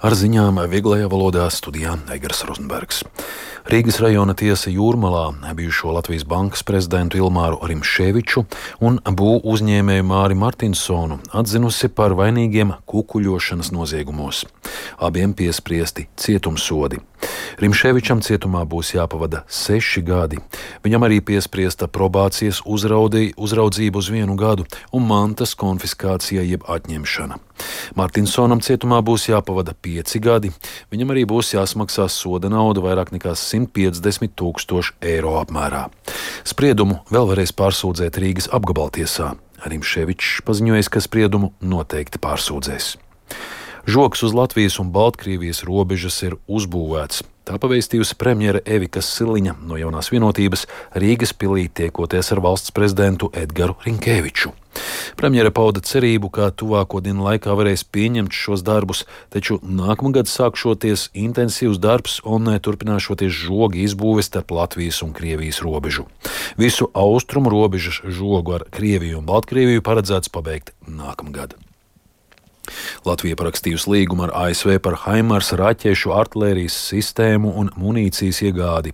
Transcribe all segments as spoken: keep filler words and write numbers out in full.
Ar ziņām vieglajā valodā studijā Eigars Rozenbergs. Rīgas rajona tiesa Jūrmalā bijušo Latvijas bankas prezidentu Ilmāru Rimšēviču un būvu uzņēmēju Māri Martinsonu atzinusi par vainīgiem kukuļošanas noziegumos. Abiem piespriesti cietumsodi. Rimšēvičam cietumā būs jāpavada seši gadi. Viņam arī piespriesta probācijas uzraudī, uzraudzību uz vienu gadu un mantas konfiskācija jeb atņemšana. Martinsonam cietumā būs jāpavada pieci gadi. Viņam arī būs jāsmaksā soda nauda vairāk nekā simt piecdesmit tūkstoši eiro apmērā. Spriedumu vēl varēs pārsūdzēt Rīgas apgabaltiesā. Rimšēvičs paziņojis, ka spriedumu noteikti pārsūdzēs. Žoks uz Latvijas un Baltkrievijas robežas ir uzbūvēts. Tā pavēstījusi premjere Evika Siliņa no Jaunās vienotības Rīgas pilī tiekoties ar valsts prezidentu Edgaru Rinkēviču. Premjere pauda cerību, ka tuvāko dienu laikā varēs pieņemt šos darbus, taču nākamgad sākšoties intensīvs darbs un turpināšoties žogi izbūves starp Latvijas un Krievijas robežu. Visu austrumu robežas žogu ar Krieviju un Baltkrieviju paredzēts pabeigt nākamgad. Latvija parakstījusi līgumu ar A S V par Haimars raķešu, artilērijas sistēmu un munīcijas iegādi.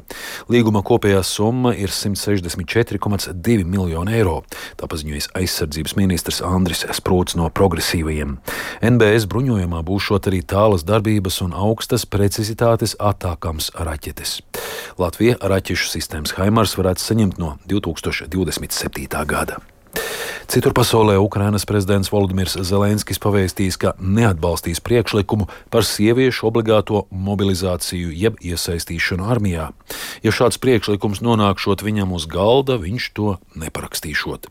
Līguma kopējā summa ir simt sešdesmit četri komats divi miljoni eiro. Tā paziņojis aizsardzības ministrs Andris Sprūts no progresīvajiem. N B S bruņojumā būšot arī tālas darbības un augstas precizitātes attākams raķetes. Latvija raķešu sistēmas Haimars varētu saņemt no divi tūkstoši divdesmit septītā gada. Citur pasaulē Ukrainas prezidents Volodimirs Zelenskis pavēstījis, ka neatbalstīs priekšlikumu par sieviešu obligāto mobilizāciju jeb iesaistīšanu armijā. Ja šāds priekšlikums nonākšot viņam uz galda, viņš to neparakstīšot.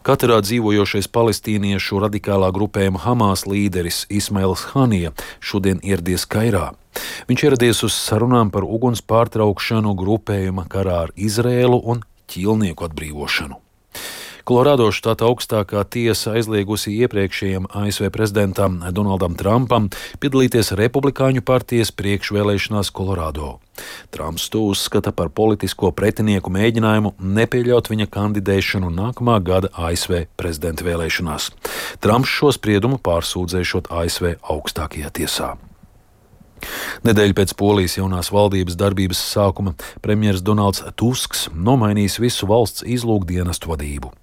Katarā dzīvojošais palestīniešu radikālā grupējuma Hamas līderis Ismails Hanija šodien ieradies Kairā. Viņš ieradies uz sarunām par uguns pārtraukšanu grupējuma karā ar Izrēlu un ķīlnieku atbrīvošanu. Kolorādo štata augstākā tiesa aizliegusi iepriekšējiem A S V prezidentam Donaldam Trumpam piedalīties Republikāņu partijas priekšvēlēšanās Kolorādo. Trumps to uzskata par politisko pretinieku mēģinājumu nepieļaut viņa kandidēšanu nākamā gada A S V prezidenta vēlēšanās. Trumps šo spriedumu pārsūdzēšot A S V augstākajā tiesā. Nedēļu pēc Polijas jaunās valdības darbības sākuma premjers Donalds Tusks nomainīs visu valsts izlūkdienestu vadību.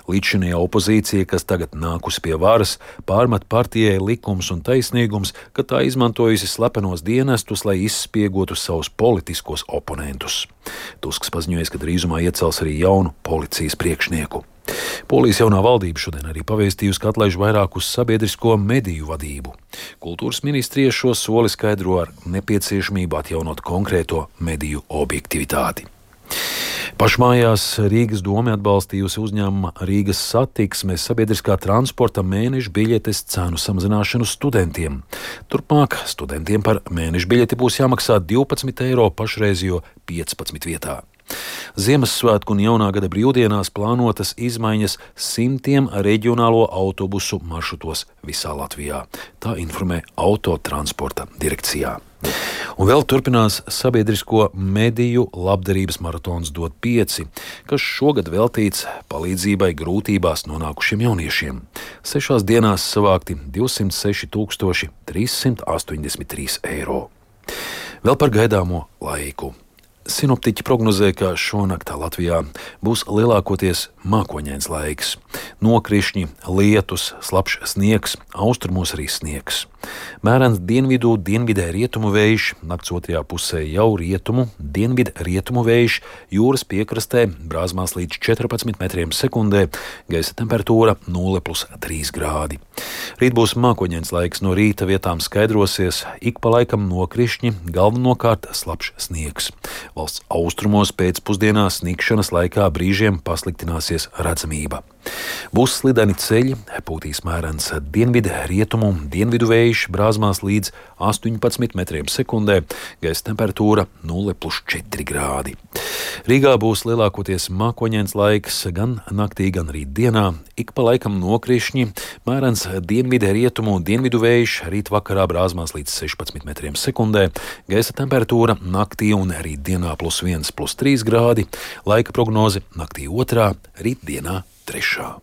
Līdzinājā opozīcija, kas tagad nākusi pie varas, pārmet partijai Likums un taisnīgums, ka tā izmantojusi slepenos dienestus, lai izspiegotu savus politiskos oponentus. Tusks paziņoja, ka drīzumā iecels arī jaunu policijas priekšnieku. Polijas jaunā valdība šodien arī pavēstījusi, ka atlaiž vairākus sabiedrisko mediju vadību. Kultūras ministrija šo soli skaidro ar nepieciešamību atjaunot konkrēto mediju objektivitāti. Pašmājās Rīgas doma atbalstījusi uzņēmuma Rīgas satiksmes sabiedriskā transporta mēneša biļetes cenu samazināšanu studentiem. Turpmāk studentiem par mēneša biļeti būs jāmaksā divpadsmit eiro pašreizējo piecpadsmit vietā. Ziemassvētku un jaunā gada brīvdienās plānotas izmaiņas simtiem reģionālo autobusu maršrutos visā Latvijā. Tā informē Autotransporta direkcijā. Un vēl turpinās sabiedrisko mediju labdarības maratons Dod pieci, kas šogad veltīts palīdzībai grūtībās nonākušiem jauniešiem. Sešās dienās savākti divsimt seši tūkstoši trīs simti astoņdesmit trīs eiro. Vēl par gaidāmo laiku. Sinoptiķi prognozē, ka šonaktā Latvijā būs lielākoties mākoņains laiks. Nokrišņi, lietus, slapjš sniegs, austrumos arī sniegs. Mērens dienvidu, dienvidē rietumu vējš, nakts otrajā pusē jau rietumu, dienvidu rietumu vējš, jūras piekrastē brāzmās līdz četrpadsmit metriem sekundē, gaisa temperatūra nulle plus trīs grādi. Rīt būs mākoņains laiks, no rīta vietām skaidrosies, ik pa laikam nokrišņi, galvenokārt slapjš sniegs. Valsts austrumos pēcpusdienā sniegšanas laikā brīžiem pasliktināsies redzamība. Būs slideni ceļi, pūtīs mērens dienvidu, rietumu, dienvidu vējš, brāzmās līdz astoņpadsmit metriem sekundē, gaisa temperatūra nulle plus četri grādi. Rīgā būs lielākoties mākoņains laiks gan naktī, gan rīt dienā, ik pa laikam nokrišņi, mērens dienvidu, rietumu, dienvidu vējš, rīt vakarā brāzmās līdz sešpadsmit metriem sekundē, gaisa temperatūra naktī un rīt dienā plus viens plus trīs grādi, laika prognoze naktī otrā, rīt dienā trešā.